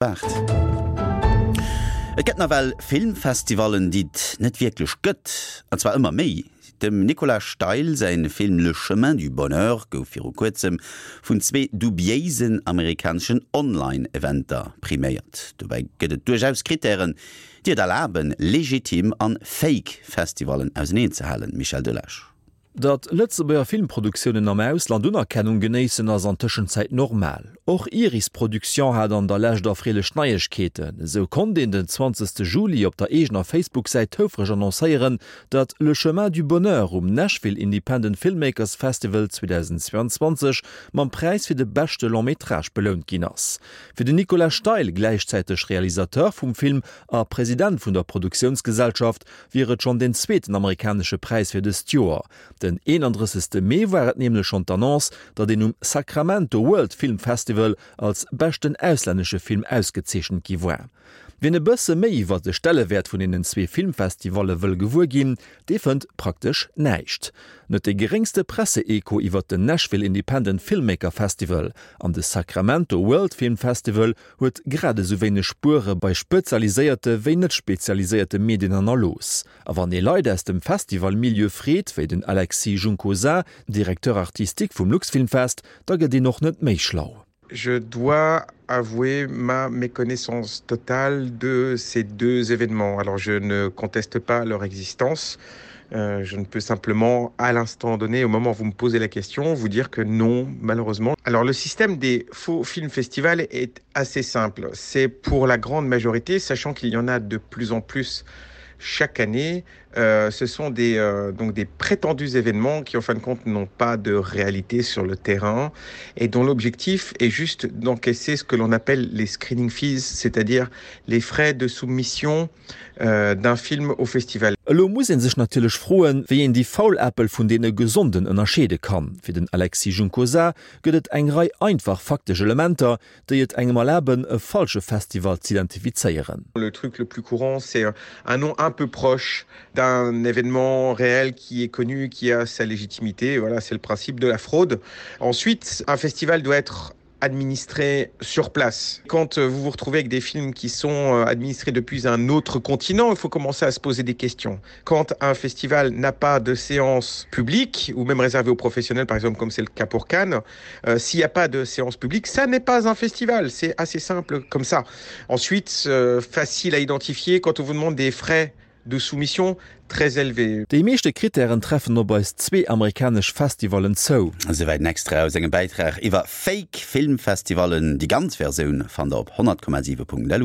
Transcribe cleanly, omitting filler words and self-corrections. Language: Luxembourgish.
Waart. Et gëtt nawell Filmfestivallen, déi et net wierklech gëtt, an zwar ëmmer méi. Dem Nicolas Steil säin Film Le chemin du bonheur gouf viru kuerzem vun zwee dubiéisen amerikaneschen Online-Eventer priméiert. Dobäi gëtt et duerchaus Krittären, déi et erlaben, legitim an fake Festivallen auseneen ze halen. Michel Delage. Datt Lëtzebuerger Filmproduktiounen am Ausland Unerkennung genéissen, ass an Tëschenzäit normal. Och Iris Production hat an der Lescht erfreelech Neiegkeeten. Esou konnt een den 20 Juli op der eegener Facebook-Säit houfreg annoncéieren, datt Le Chemin du Bonheur um Nashville Independent Filmmakers Festival 2022 mam Präis fir de beschte Long-métrage belount ginn ass. Fir den Nicolas Steil, gläichzäiteg Realisateur vum Film a President vun der Produktiounsgesellschaft, wier et schonn deen zweeten amerikanesche Präis fir dëst Joer. Den 31. Mee war et nämlech schonn d'Annonce, datt een um Sacramento World Film Festival als beschten auslännesche Film ausgezeechent gi war. Wien e bësse méi iwwer de Stellewäert vun deenen zwee Filmfestivalle wëll gewuer ginn, dee fënnt praktesch näischt. Net dee geréngste Presse-Echo iwwer den Nashville Independent Filmmaker Festival an de Sacramento World Film Festival huet grad esou wéineg Spuere bei spezialiséierte wéi net spezialiséierte Medien hannerlooss. A wann ee Leit aus dem Festival-Milieu freet, wéi den Alexis Juncosa, Directeur artistique vum Luxfilmfest, da gëtt een och net méi schlau. Je dois avouer ma méconnaissance totale de ces deux événements. Alors je ne conteste pas leur existence, Euh, je ne peux simplement, à l'instant donné, au moment où vous me posez la question, vous dire que non, malheureusement. Alors le système des faux films festivals est assez simple. C'est pour la grande majorité, sachant qu'il y en a de plus en plus chaque année, euh, ce sont des, euh, donc des prétendus événements qui en fin de compte n'ont pas de réalité sur le terrain et dont l'objectif est juste d'encaisser ce que l'on appelle les screening fees, c'est-à-dire les frais de soumission euh, d'un film au festival. Elo muss ee sech natierlech froen, wéi een déi faul Äppel vun deene gesonden ënnerscheede kann. Fir den Alexis Juncosa gëtt et eng Rei einfach faktesch Elementer, déi et engem erlaben, e falsche Festival z'identifizéieren. Le truc le plus courant, c'est un nom un peu proche d'un événement réel qui est connu, qui a sa légitimité. Voilà, c'est le principe de la fraude. Ensuite, un festival doit être administré sur place. Quand euh, vous vous retrouvez avec des films qui sont euh, administrés depuis un autre continent, il faut commencer à se poser des questions. Quand un festival n'a pas de séance publique ou même réservée aux professionnels, par exemple comme c'est le cas pour Cannes, euh, s'il n'y a pas de séance publique, ça n'est pas un festival. C'est assez simple comme ça. Ensuite, euh, facile à identifier quand on vous demande des frais de soumission très élevés. Déi meeschte Krittären treffen op eis zwee amerikanesch Festivallen zou. Esouwäit den Extrait aus engem Bäitrag iwwer Fake Filmfestivallen. Déi ganz Versioun fannt der op 100,7.lu.